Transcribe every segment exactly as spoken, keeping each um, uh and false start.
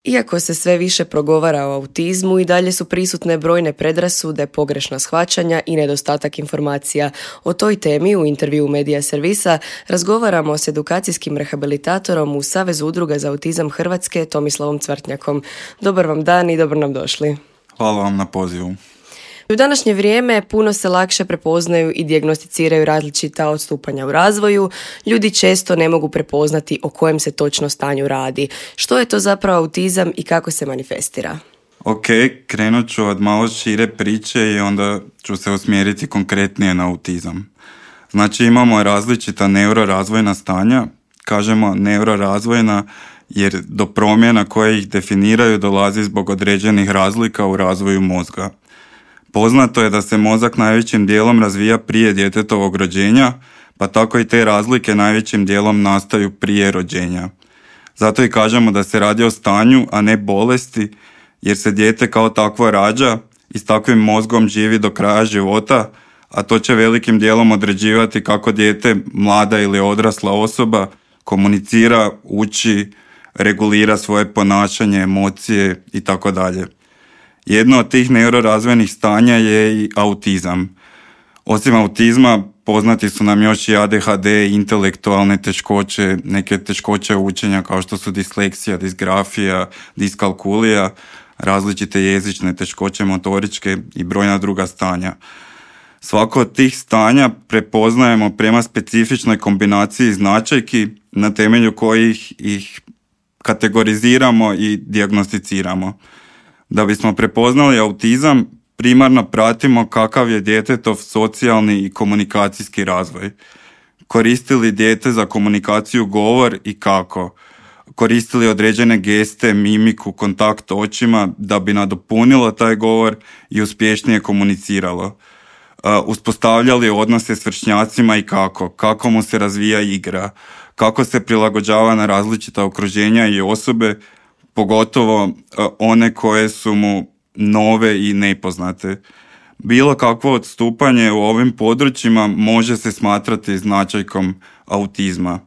Iako se sve više progovara o autizmu, i dalje su prisutne brojne predrasude, pogrešna shvaćanja i nedostatak informacija. O toj temi u intervju Medija Servisa razgovaramo s edukacijskim rehabilitatorom u Savezu udruga za autizam Hrvatske Tomislavom Cvrtnjakom. Dobar vam dan i dobro nam došli. Hvala vam na pozivu. U današnje vrijeme puno se lakše prepoznaju i dijagnosticiraju različita odstupanja u razvoju. Ljudi često ne mogu prepoznati o kojem se točno stanju radi. Što je to zapravo autizam i kako se manifestira? Ok, krenut ću od malo šire priče i onda ću se usmjeriti konkretnije na autizam. Znači imamo različita neurorazvojna stanja. Kažemo neurorazvojna jer do promjena koje ih definiraju dolazi zbog određenih razlika u razvoju mozga. Poznato je da se mozak najvećim dijelom razvija prije djetetovog rođenja, pa tako i te razlike najvećim dijelom nastaju prije rođenja. Zato i kažemo da se radi o stanju, a ne bolesti, jer se dijete kao takvo rađa i s takvim mozgom živi do kraja života, a to će velikim dijelom određivati kako dijete, mlada ili odrasla osoba, komunicira, uči, regulira svoje ponašanje, emocije i tako dalje. Jedno od tih neurorazvojnih stanja je i autizam. Osim autizma, poznati su nam još i A D H D, intelektualne teškoće, neke teškoće učenja kao što su disleksija, disgrafija, diskalkulija, različite jezične teškoće motoričke i brojna druga stanja. Svako od tih stanja prepoznajemo prema specifičnoj kombinaciji značajki na temelju kojih ih kategoriziramo i dijagnosticiramo. Da bismo prepoznali autizam, primarno pratimo kakav je djetetov socijalni i komunikacijski razvoj. Koristili dijete za komunikaciju govor i kako. Koristili određene geste, mimiku, kontakt očima da bi nadopunilo taj govor i uspješnije komuniciralo. Uh, uspostavljali odnose s vršnjacima i kako. Kako mu se razvija igra. Kako se prilagođava na različita okruženja i osobe, pogotovo one koje su mu nove i nepoznate. Bilo kakvo odstupanje u ovim područjima može se smatrati značajkom autizma.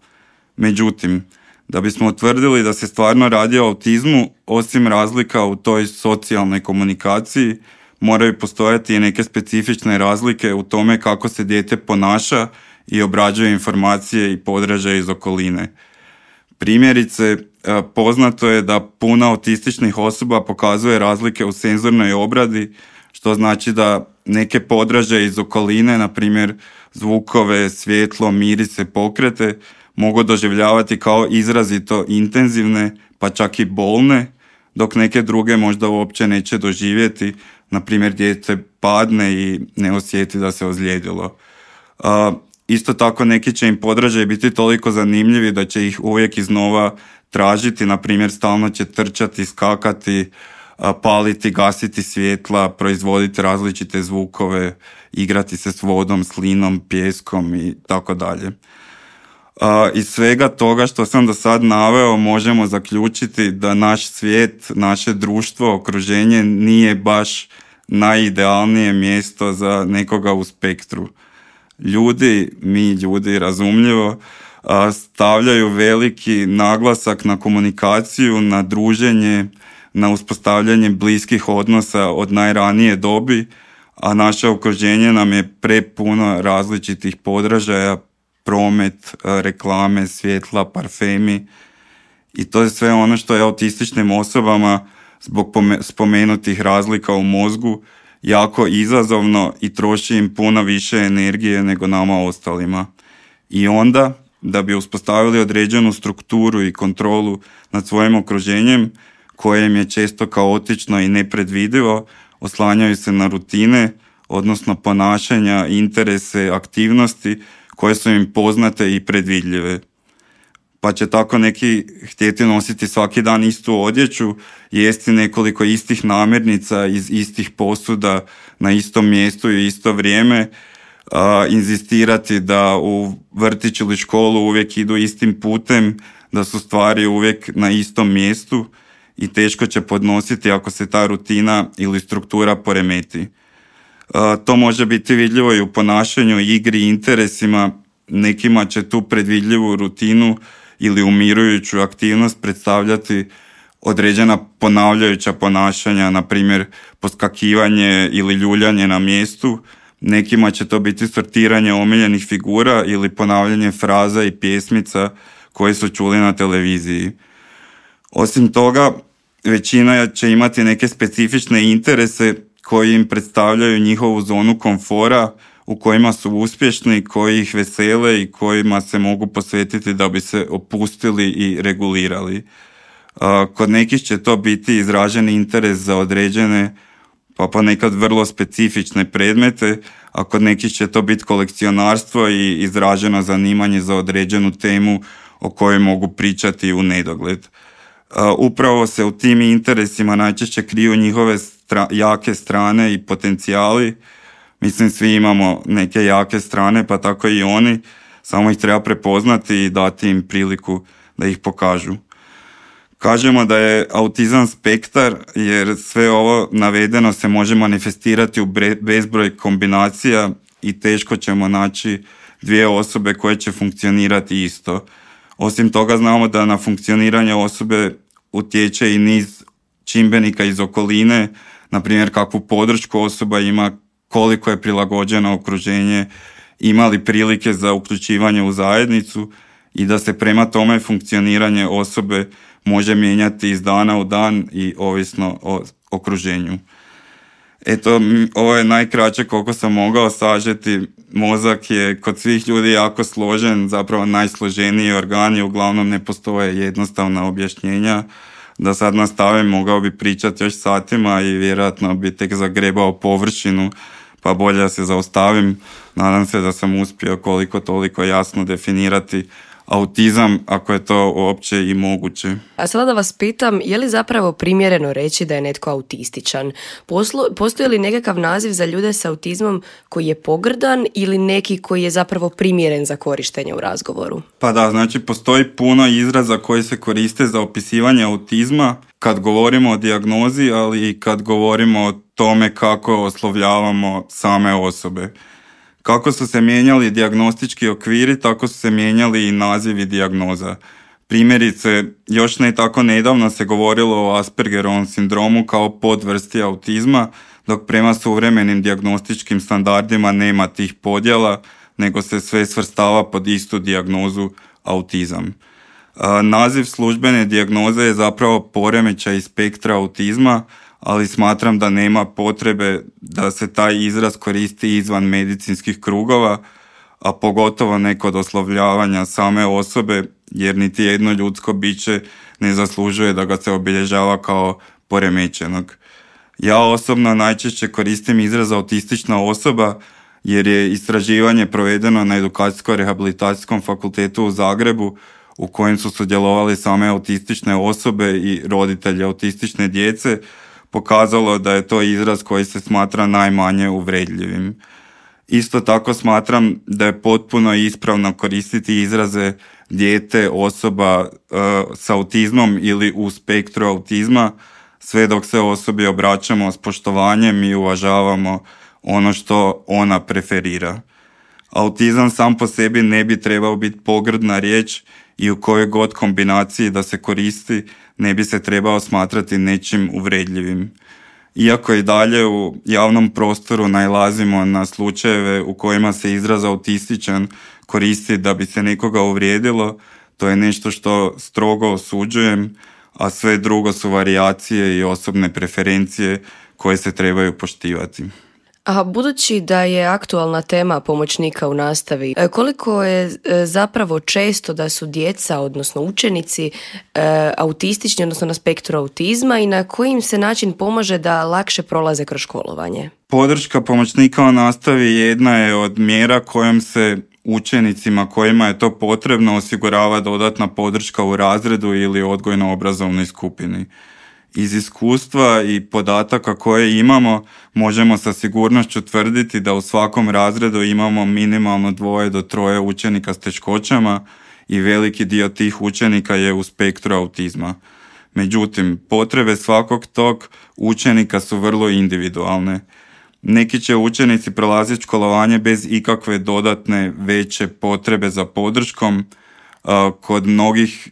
Međutim, da bismo utvrdili da se stvarno radi o autizmu, osim razlika u toj socijalnoj komunikaciji, moraju postojati i neke specifične razlike u tome kako se dijete ponaša i obrađuje informacije i podražaje iz okoline. Primjerice, poznato je da puno autističnih osoba pokazuje razlike u senzornoj obradi, što znači da neke podražaje iz okoline, na primjer zvukove, svjetlo, mirise, pokrete, mogu doživljavati kao izrazito intenzivne, pa čak i bolne, dok neke druge možda uopće neće doživjeti, na primjer dijete padne i ne osjeti da se ozlijedilo. Uh, Isto tako neki će im podražaji biti toliko zanimljivi da će ih uvijek iznova tražiti, na primjer stalno će trčati, skakati, paliti, gasiti svjetla, proizvoditi različite zvukove, igrati se s vodom, slinom, pijeskom i tako dalje. Iz svega toga što sam do sad naveo možemo zaključiti da naš svijet, naše društvo, okruženje nije baš najidealnije mjesto za nekoga u spektru. Ljudi, mi ljudi razumljivo, stavljaju veliki naglasak na komunikaciju, na druženje, na uspostavljanje bliskih odnosa od najranije dobi, a naše okruženje nam je prepuno različitih podražaja, promet, reklame, svjetla, parfemi i to je sve ono što je autističnim osobama zbog spomenutih razlika u mozgu jako izazovno i troši im puno više energije nego nama ostalima. I onda, da bi uspostavili određenu strukturu i kontrolu nad svojim okruženjem, koje im je često kaotično i nepredvidivo, oslanjaju se na rutine, odnosno ponašanja, interese, aktivnosti koje su im poznate i predvidljive. Pa će tako neki htjeti nositi svaki dan istu odjeću, jesti nekoliko istih namirnica iz istih posuda na istom mjestu i isto vrijeme, a, inzistirati da u vrtić ili školu uvijek idu istim putem, da su stvari uvijek na istom mjestu i teško će podnositi ako se ta rutina ili struktura poremeti. A, to može biti vidljivo i u ponašanju, igri i interesima. Nekima će tu predvidljivu rutinu ili umirujuću aktivnost predstavljati određena ponavljajuća ponašanja, na primjer poskakivanje ili ljuljanje na mjestu. Nekima će to biti sortiranje omiljenih figura ili ponavljanje fraza i pjesmica koje su čuli na televiziji. Osim toga, većina će imati neke specifične interese koji im predstavljaju njihovu zonu komfora, u kojima su uspješni, koji ih vesele i kojima se mogu posvetiti da bi se opustili i regulirali. Kod nekih će to biti izraženi interes za određene, pa ponekad vrlo specifične predmete, a kod nekih će to biti kolekcionarstvo i izraženo zanimanje za određenu temu o kojoj mogu pričati u nedogled. Upravo se u tim interesima najčešće kriju njihove stra- jake strane i potencijali. Mislim, svi imamo neke jake strane, pa tako i oni, samo ih treba prepoznati i dati im priliku da ih pokažu. Kažemo da je autizam spektar, jer sve ovo navedeno se može manifestirati u bezbroj kombinacija i teško ćemo naći dvije osobe koje će funkcionirati isto. Osim toga, znamo da na funkcioniranje osobe utječe i niz čimbenika iz okoline, na primjer kakvu podršku osoba ima, koliko je prilagođeno okruženje, ima li prilike za uključivanje u zajednicu i da se prema tome funkcioniranje osobe može mijenjati iz dana u dan i ovisno o okruženju. Eto, ovo je najkraće koliko sam mogao sažeti. Mozak je kod svih ljudi jako složen, zapravo najsloženiji organ i uglavnom ne postoje jednostavna objašnjenja. Da sad nastavim, mogao bi pričati još satima i vjerojatno bi tek zagrebao površinu, pa bolje da se zaustavim. Nadam se da sam uspio koliko toliko jasno definirati autizam, ako je to uopće i moguće. A sada da vas pitam, je li zapravo primjereno reći da je netko autističan? Poslu, postoji li nekakav naziv za ljude s autizmom koji je pogrdan ili neki koji je zapravo primjeren za korištenje u razgovoru? Pa da, znači postoji puno izraza koji se koriste za opisivanje autizma kad govorimo o dijagnozi, ali i kad govorimo o tome kako oslovljavamo same osobe. Kako su se mijenjali dijagnostički okviri, tako su se mijenjali i nazivi dijagnoza. Primjerice, još ne tako nedavno se govorilo o Aspergerovom sindromu kao podvrsti autizma, dok prema suvremenim dijagnostičkim standardima nema tih podjela, nego se sve svrstava pod istu dijagnozu autizam. Naziv službene dijagnoze je zapravo poremećaj spektra autizma, ali smatram da nema potrebe da se taj izraz koristi izvan medicinskih krugova, a pogotovo ne kod oslovljavanja same osobe, jer niti jedno ljudsko biće ne zaslužuje da ga se obilježava kao poremećenog. Ja osobno najčešće koristim izraz autistična osoba, jer je istraživanje provedeno na Edukacijsko-rehabilitacijskom fakultetu u Zagrebu, u kojem su sudjelovali same autistične osobe i roditelji autistične djece, pokazalo da je to izraz koji se smatra najmanje uvredljivim. Isto tako smatram da je potpuno ispravno koristiti izraze dijete, osoba uh, s autizmom ili u spektru autizma, sve dok se osobi obraćamo s poštovanjem i uvažavamo ono što ona preferira. Autizam sam po sebi ne bi trebao biti pogrdna riječ i u kojoj god kombinaciji da se koristi ne bi se trebao smatrati nečim uvredljivim. Iako i dalje u javnom prostoru nailazimo na slučajeve u kojima se izraz autističan koristi da bi se nekoga uvrijedilo, to je nešto što strogo osuđujem, a sve drugo su varijacije i osobne preferencije koje se trebaju poštivati. A budući da je aktualna tema pomoćnika u nastavi, koliko je zapravo često da su djeca, odnosno učenici, autistični, odnosno na spektru autizma i na koji im se način pomaže da lakše prolaze kroz školovanje? Podrška pomoćnika u nastavi jedna je od mjera kojom se učenicima kojima je to potrebno osigurava dodatna podrška u razredu ili odgojno-obrazovnoj skupini. Iz iskustva i podataka koje imamo možemo sa sigurnošću tvrditi da u svakom razredu imamo minimalno dvoje do troje učenika s teškoćama i veliki dio tih učenika je u spektru autizma. Međutim, potrebe svakog tog učenika su vrlo individualne. Neki će učenici prolaziti školovanje bez ikakve dodatne veće potrebe za podrškom, kod mnogih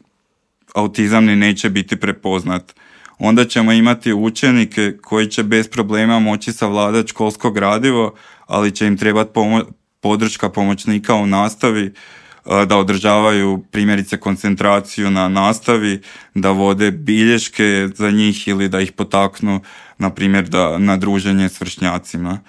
autizam ni neće biti prepoznat. onda ćemo imati učenike koji će bez problema moći savladati školsko gradivo, ali će im trebati pomo- podrška pomoćnika u nastavi, da održavaju primjerice koncentraciju na nastavi, da vode bilješke za njih ili da ih potaknu, na primjer, da, na druženje s vršnjacima.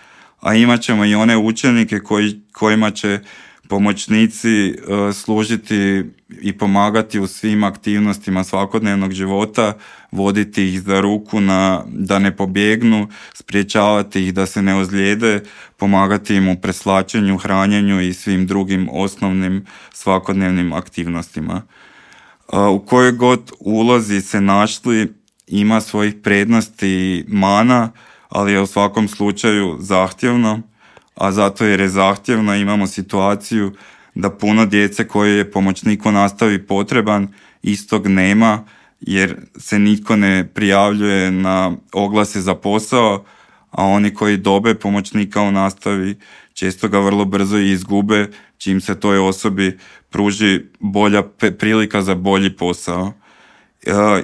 A imat ćemo i one učenike koji, kojima će pomoćnici uh, služiti i pomagati u svim aktivnostima svakodnevnog života, voditi ih za ruku na, da ne pobjegnu, spriječavati ih da se ne ozlijede, pomagati im u preslačenju, hranjenju i svim drugim osnovnim svakodnevnim aktivnostima. Uh, u kojoj god ulozi se našli ima svojih prednosti i mana, ali je u svakom slučaju zahtjevno, a zato jer je zahtjevno imamo situaciju da puno djece koje je pomoćnik u nastavi potreban istog nema, jer se nitko ne prijavljuje na oglase za posao, a oni koji dobe pomoćnika u nastavi često ga vrlo brzo i izgube, čim se toj osobi pruži bolja prilika za bolji posao.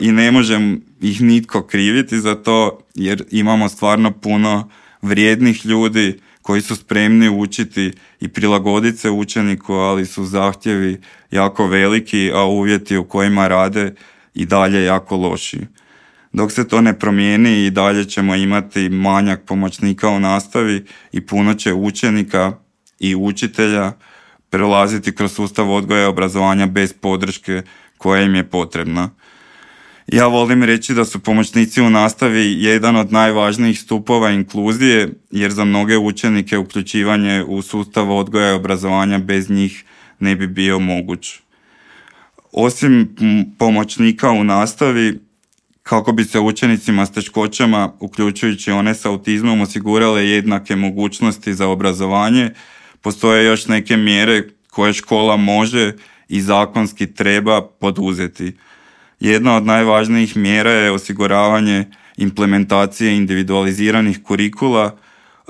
I ne možem ih nitko kriviti za to, jer imamo stvarno puno vrijednih ljudi koji su spremni učiti i prilagoditi se učeniku, ali su zahtjevi jako veliki, a uvjeti u kojima rade i dalje jako loši. Dok se to ne promijeni i dalje ćemo imati manjak pomoćnika u nastavi i puno će učenika i učitelja prelaziti kroz sustav odgoja i obrazovanja bez podrške koja im je potrebna. Ja volim reći da su pomoćnici u nastavi jedan od najvažnijih stupova inkluzije, jer za mnoge učenike uključivanje u sustav odgoja i obrazovanja bez njih ne bi bio moguć. Osim pomoćnika u nastavi, kako bi se učenicima s teškoćama, uključujući one s autizmom, osigurale jednake mogućnosti za obrazovanje, postoje još neke mjere koje škola može i zakonski treba poduzeti. Jedna od najvažnijih mjera je osiguravanje implementacije individualiziranih kurikula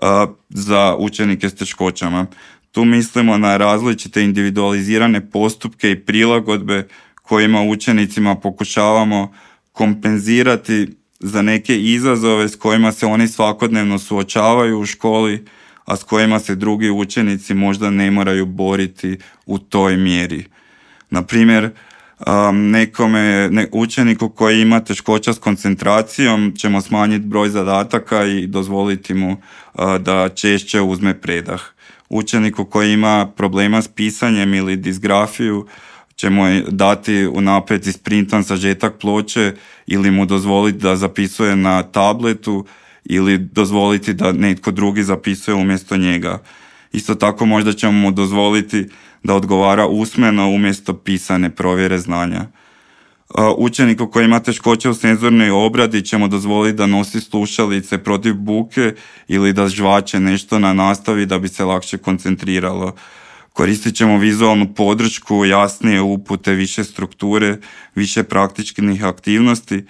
a, za učenike s teškoćama. Tu mislimo na različite individualizirane postupke i prilagodbe kojima učenicima pokušavamo kompenzirati za neke izazove s kojima se oni svakodnevno suočavaju u školi, a s kojima se drugi učenici možda ne moraju boriti u toj mjeri. Na primjer, Um, nekome, ne, učeniku koji ima teškoća s koncentracijom ćemo smanjiti broj zadataka i dozvoliti mu uh, da češće uzme predah. Učeniku koji ima problema s pisanjem ili disgrafiju ćemo dati unaprijed isprintan sažetak ploče ili mu dozvoliti da zapisuje na tabletu ili dozvoliti da netko drugi zapisuje umjesto njega. Isto tako možda ćemo mu dozvoliti da odgovara usmeno umjesto pisane provjere znanja. Učeniku koji ima teškoće u senzornoj obradi ćemo dozvoliti da nosi slušalice protiv buke ili da žvače nešto na nastavi da bi se lakše koncentriralo. Koristit ćemo vizualnu podršku, jasnije upute, više strukture, više praktičnih aktivnosti.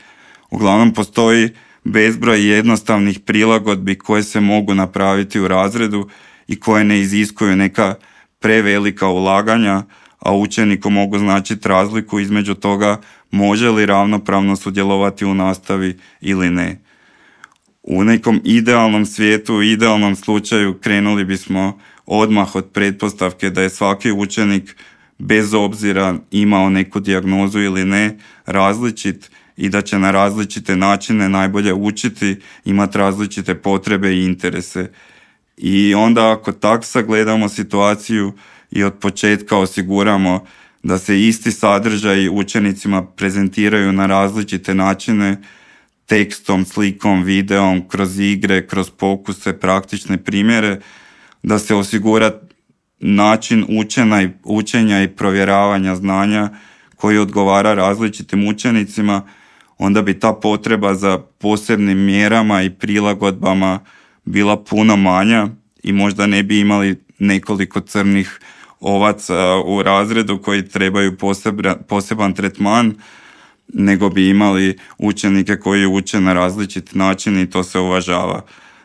Uglavnom postoji bezbroj jednostavnih prilagodbi koje se mogu napraviti u razredu i koje ne iziskuju neka prevelika ulaganja, a učeniku mogu značiti razliku između toga može li ravnopravno sudjelovati u nastavi ili ne. U nekom idealnom svijetu, u idealnom slučaju krenuli bismo odmah od pretpostavke da je svaki učenik, bez obzira imao neku dijagnozu ili ne, različit i da će na različite načine najbolje učiti, imati različite potrebe i interese. I onda ako tak sagledamo situaciju i od početka osiguramo da se isti sadržaji učenicima prezentiraju na različite načine, tekstom, slikom, videom, kroz igre, kroz pokuse, praktične primjere, da se osigura način učenja i, učenja i provjeravanja znanja koji odgovara različitim učenicima, onda bi ta potreba za posebnim mjerama i prilagodbama bila puno manja i možda ne bi imali nekoliko crnih ovaca u razredu koji trebaju poseban, poseban tretman, nego bi imali učenike koji uče na različit način i to se uvažava.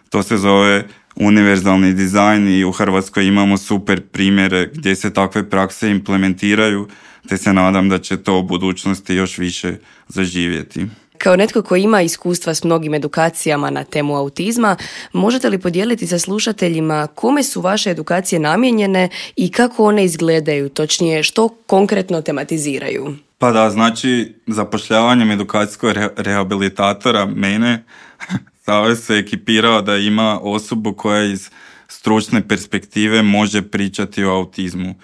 To se zove univerzalni dizajn i u Hrvatskoj imamo super primjere gdje se takve prakse implementiraju, te se nadam da će to u budućnosti još više zaživjeti. Kao netko koji ima iskustva s mnogim edukacijama na temu autizma, možete li podijeliti sa slušateljima kome su vaše edukacije namijenjene i kako one izgledaju, točnije što konkretno tematiziraju? Pa da, znači zapošljavanjem edukacijskog re- rehabilitatora mene Savez se ekipirao da ima osobu koja iz stručne perspektive može pričati o autizmu.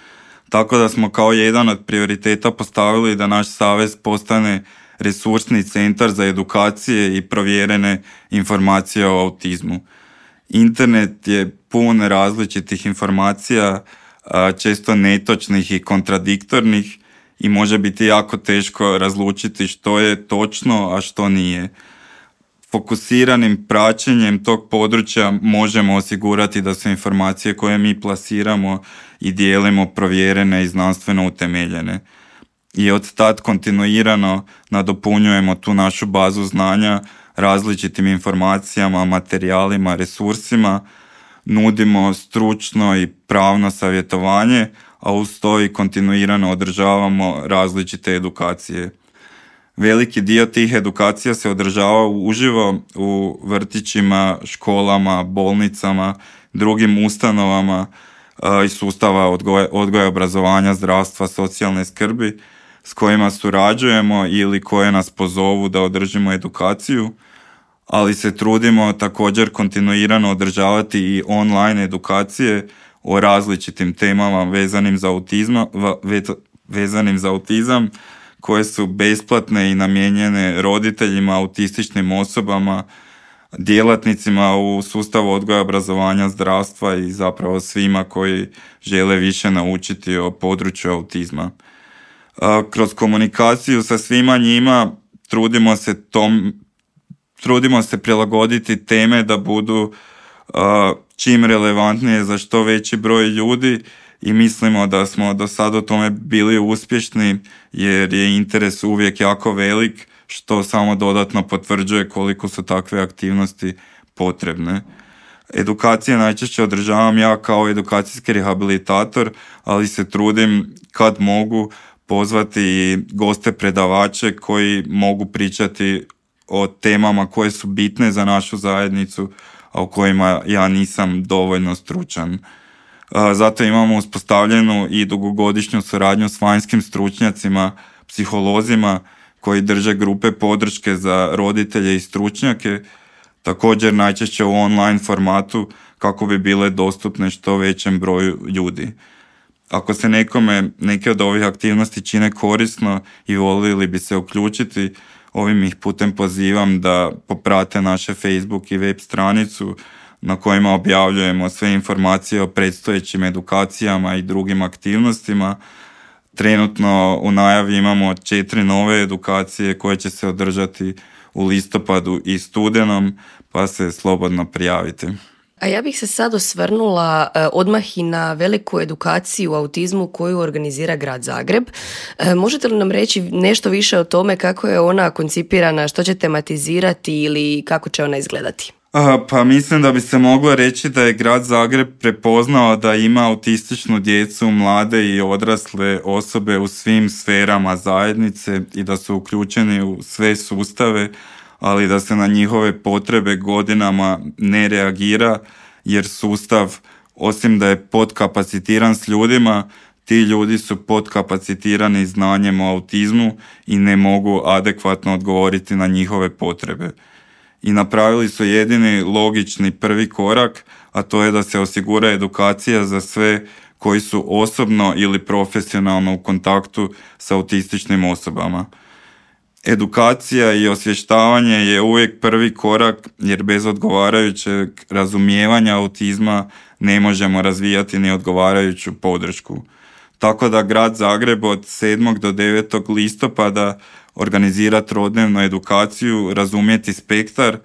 Tako da smo kao jedan od prioriteta postavili da naš savez postane resursni centar za edukacije i provjerene informacije o autizmu. Internet je pun različitih informacija, često netočnih i kontradiktornih, i može biti jako teško razlučiti što je točno, a što nije. Fokusiranim praćenjem tog područja možemo osigurati da su informacije koje mi plasiramo i dijelimo provjerene i znanstveno utemeljene. I od tad kontinuirano nadopunjujemo tu našu bazu znanja različitim informacijama, materijalima, resursima, nudimo stručno i pravno savjetovanje, a uz to i kontinuirano održavamo različite edukacije. Veliki dio tih edukacija se održava uživo u vrtićima, školama, bolnicama, drugim ustanovama iz sustava odgoja, odgoja, obrazovanja, zdravstva, socijalne skrbi s kojima surađujemo ili koje nas pozovu da održimo edukaciju, ali se trudimo također kontinuirano održavati i online edukacije o različitim temama vezanim za autizma, vezanim za autizam, koje su besplatne i namijenjene roditeljima, autističnim osobama, djelatnicima u sustavu odgoja, obrazovanja, zdravstva i zapravo svima koji žele više naučiti o području autizma. Kroz komunikaciju sa svima njima trudimo se tom, trudimo se prilagoditi teme da budu čim relevantnije za što veći broj ljudi i mislimo da smo do sada u tome bili uspješni jer je interes uvijek jako velik, što samo dodatno potvrđuje koliko su takve aktivnosti potrebne. Edukacije najčešće održavam ja kao edukacijski rehabilitator, ali se trudim kad mogu pozvati i goste predavače koji mogu pričati o temama koje su bitne za našu zajednicu, a o kojima ja nisam dovoljno stručan. Zato imamo uspostavljenu i dugogodišnju suradnju s vanjskim stručnjacima, psiholozima koji drže grupe podrške za roditelje i stručnjake, također najčešće u online formatu kako bi bile dostupne što većem broju ljudi. Ako se nekome neke od ovih aktivnosti čine korisno i volili bi se uključiti, ovim ih putem pozivam da poprate naše Facebook i web stranicu na kojima objavljujemo sve informacije o predstojećim edukacijama i drugim aktivnostima. Trenutno u najavi imamo četiri nove edukacije koje će se održati u listopadu i studenom, pa se slobodno prijavite. A ja bih se sad osvrnula eh, odmah i na veliku edukaciju u autizmu koju organizira Grad Zagreb. Eh, možete li nam reći nešto više o tome kako je ona koncipirana, što će tematizirati ili kako će ona izgledati? A, pa mislim da bi se moglo reći da je Grad Zagreb prepoznao da ima autističnu djecu, mlade i odrasle osobe u svim sferama zajednice i da su uključeni u sve sustave, ali da se na njihove potrebe godinama ne reagira jer sustav, osim da je podkapacitiran s ljudima, ti ljudi su podkapacitirani znanjem o autizmu i ne mogu adekvatno odgovoriti na njihove potrebe. I napravili su jedini logični prvi korak, a to je da se osigura edukacija za sve koji su osobno ili profesionalno u kontaktu sa autističnim osobama. Edukacija i osvještavanje je uvijek prvi korak jer bez odgovarajućeg razumijevanja autizma ne možemo razvijati ni odgovarajuću podršku. Tako da Grad Zagreb od sedmog do devetog listopada organizira trodnevnu edukaciju Razumjeti spektar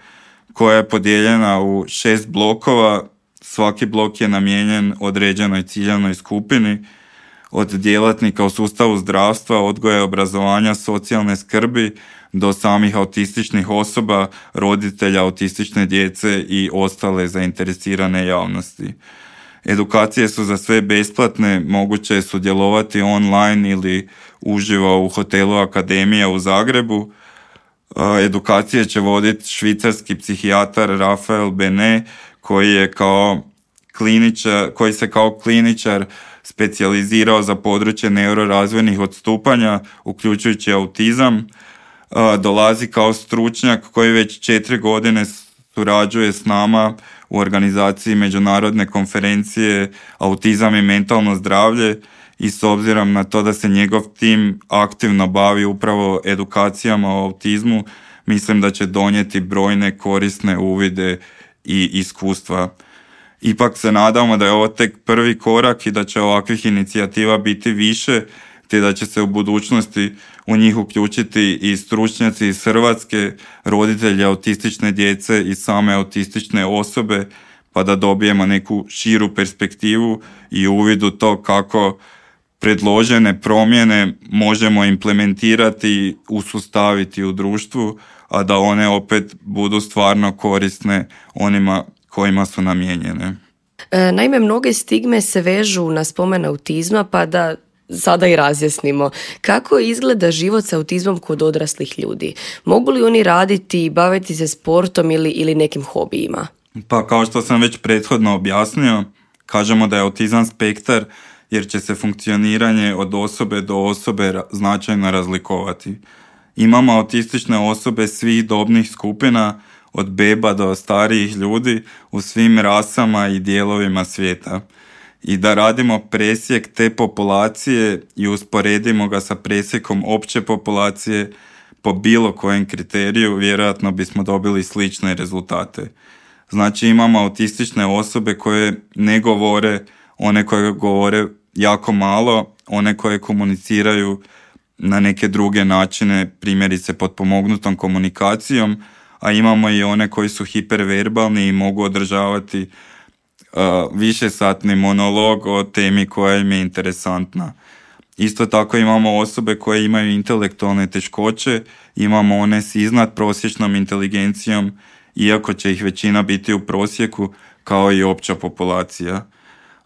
koja je podijeljena u šest blokova. Svaki blok je namijenjen određenoj ciljanoj skupini od djelatnika u sustavu zdravstva, odgoja, obrazovanja, socijalne skrbi do samih autističnih osoba, roditelja autistične djece i ostale zainteresirane javnosti. Edukacije su za sve besplatne, moguće je sudjelovati online ili uživo u hotelu Akademija u Zagrebu. Edukacije će voditi švicarski psihijatar Rafael Bene, koji je kao kliničar, koji se kao kliničar specijalizirao za područje neurorazvojnih odstupanja, uključujući autizam. Dolazi kao stručnjak koji već četiri godine surađuje s nama u organizaciji međunarodne konferencije Autizam i mentalno zdravlje, i s obzirom na to da se njegov tim aktivno bavi upravo edukacijama o autizmu, mislim da će donijeti brojne korisne uvide i iskustva. Ipak se nadamo da je ovo tek prvi korak i da će ovakvih inicijativa biti više, te da će se u budućnosti u njih uključiti i stručnjaci iz Hrvatske, roditelji autistične djece i same autistične osobe, pa da dobijemo neku širu perspektivu i uvid u to kako predložene promjene možemo implementirati i usustaviti u društvu, a da one opet budu stvarno korisne onima kojima su namijenjene. Naime, mnoge stigme se vežu na spomen autizma, pa da sada i razjasnimo. Kako izgleda život sa autizmom kod odraslih ljudi? Mogu li oni raditi i baviti se sportom ili, ili nekim hobijima? Pa kao što sam već prethodno objasnio, kažemo da je autizam spektar jer će se funkcioniranje od osobe do osobe značajno razlikovati. Imamo autistične osobe svih dobnih skupina, od beba do starijih ljudi, u svim rasama i dijelovima svijeta. I da radimo presjek te populacije i usporedimo ga sa presjekom opće populacije po bilo kojem kriteriju, vjerojatno bismo dobili slične rezultate. Znači imamo autistične osobe koje ne govore, one koje govore jako malo, one koje komuniciraju na neke druge načine, primjerice potpomognutom komunikacijom, a imamo i one koji su hiperverbalni i mogu održavati uh, višesatni monolog o temi koja im je interesantna. Isto tako imamo osobe koje imaju intelektualne teškoće, imamo one s iznadprosječnom inteligencijom, iako će ih većina biti u prosjeku, kao i opća populacija.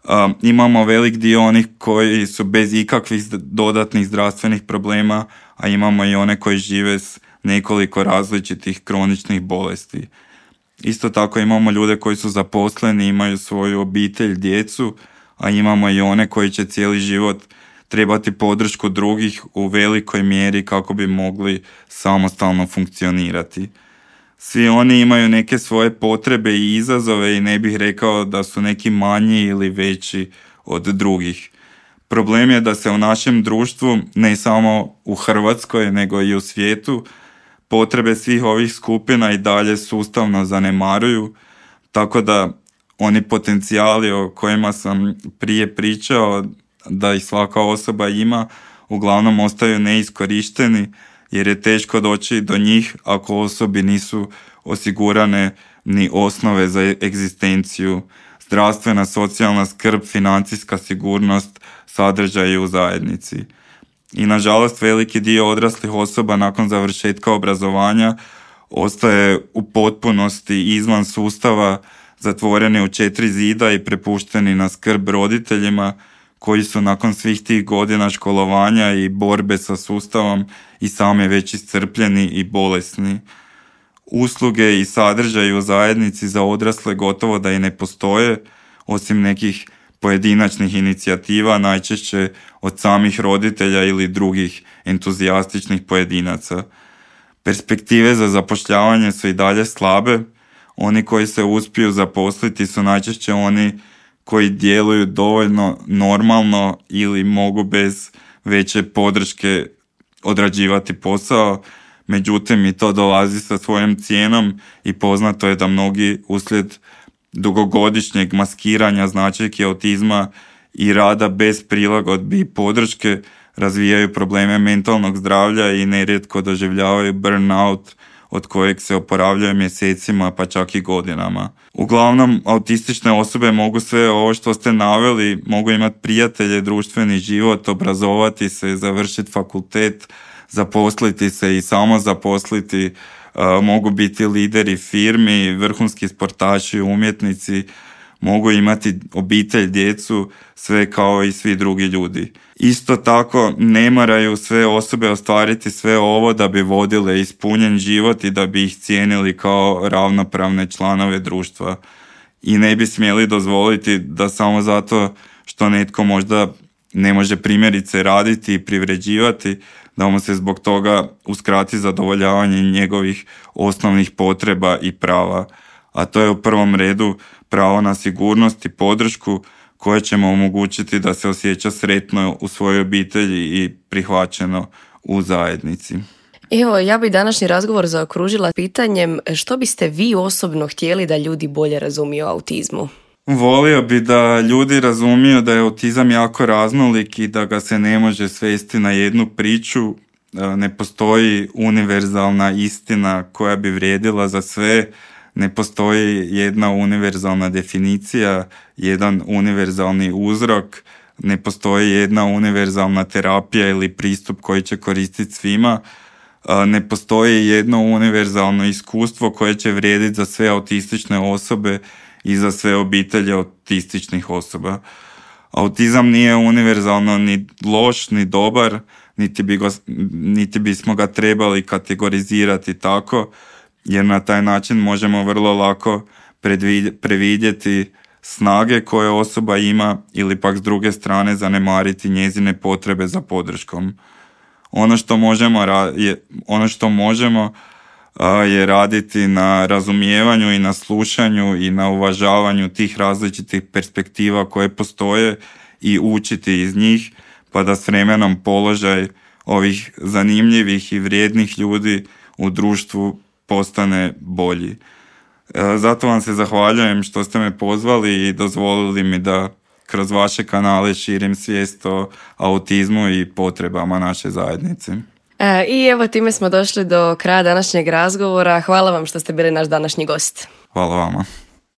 Um, imamo velik dio onih koji su bez ikakvih dodatnih zdravstvenih problema, a imamo i one koji žive s nekoliko različitih kroničnih bolesti. Isto tako imamo ljude koji su zaposleni, imaju svoju obitelj, djecu, a imamo i one koji će cijeli život trebati podršku drugih u velikoj mjeri kako bi mogli samostalno funkcionirati. Svi oni imaju neke svoje potrebe i izazove i ne bih rekao da su neki manji ili veći od drugih. Problem je da se u našem društvu, ne samo u Hrvatskoj nego i u svijetu, potrebe svih ovih skupina i dalje sustavno zanemaruju, tako da oni potencijali o kojima sam prije pričao da ih svaka osoba ima, uglavnom ostaju neiskorišteni jer je teško doći do njih ako osobi nisu osigurane ni osnove za egzistenciju, zdravstvena, socijalna skrb, financijska sigurnost, sadržaj u zajednici. I nažalost veliki dio odraslih osoba nakon završetka obrazovanja ostaje u potpunosti izvan sustava, zatvoreni u četiri zida i prepušteni na skrb roditeljima koji su nakon svih tih godina školovanja i borbe sa sustavom i sami već iscrpljeni i bolesni. Usluge i sadržaji u zajednici za odrasle gotovo da i ne postoje, osim nekih pojedinačnih inicijativa, najčešće od samih roditelja ili drugih entuzijastičnih pojedinaca. Perspektive za zapošljavanje su i dalje slabe, oni koji se uspiju zaposliti su najčešće oni koji djeluju dovoljno normalno ili mogu bez veće podrške odrađivati posao, međutim i to dolazi sa svojom cijenom i poznato je da mnogi uslijed dugogodišnjeg maskiranja značajki autizma i rada bez prilagodbi i podrške razvijaju probleme mentalnog zdravlja i nerijetko doživljavaju burnout od kojeg se oporavljaju mjesecima pa čak i godinama. Uglavnom, autistične osobe mogu sve ovo što ste naveli, mogu imati prijatelje, društveni život, obrazovati se, završiti fakultet, zaposliti se i samo zaposliti, uh, mogu biti lideri firmi, vrhunski sportaši, umjetnici, mogu imati obitelj, djecu, sve kao i svi drugi ljudi. Isto tako ne moraju sve osobe ostvariti sve ovo da bi vodile ispunjen život i da bi ih cijenili kao ravnopravne članove društva. I ne bi smjeli dozvoliti da samo zato što netko možda ne može primjerice raditi i privređivati, da mu se zbog toga uskrati zadovoljavanje njegovih osnovnih potreba i prava. A to je u prvom redu pravo na sigurnost i podršku koje će mu omogućiti da se osjeća sretno u svojoj obitelji i prihvaćeno u zajednici. Evo, ja bi današnji razgovor zaokružila pitanjem što biste vi osobno htjeli da ljudi bolje razumiju o autizmu? Volio bi da ljudi razumiju da je autizam jako raznolik i da ga se ne može svesti na jednu priču. Ne postoji univerzalna istina koja bi vrijedila za sve. Ne postoji jedna univerzalna definicija, jedan univerzalni uzrok, ne postoji jedna univerzalna terapija ili pristup koji će koristiti svima, ne postoji jedno univerzalno iskustvo koje će vrijediti za sve autistične osobe i za sve obitelje autističnih osoba. Autizam nije univerzalno ni loš, ni dobar, niti, bi go, niti bismo ga trebali kategorizirati tako, jer na taj način možemo vrlo lako previdjeti snage koje osoba ima ili pak s druge strane zanemariti njezine potrebe za podrškom. Ono što možemo, je, ono što možemo a, je raditi na razumijevanju i na slušanju i na uvažavanju tih različitih perspektiva koje postoje i učiti iz njih, pa da s vremenom položaj ovih zanimljivih i vrijednih ljudi u društvu postane bolji. Zato vam se zahvaljujem što ste me pozvali i dozvolili mi da kroz vaše kanale širim svijest o autizmu i potrebama naše zajednice. E, I evo time smo došli do kraja današnjeg razgovora. Hvala vam što ste bili naš današnji gost. Hvala vama.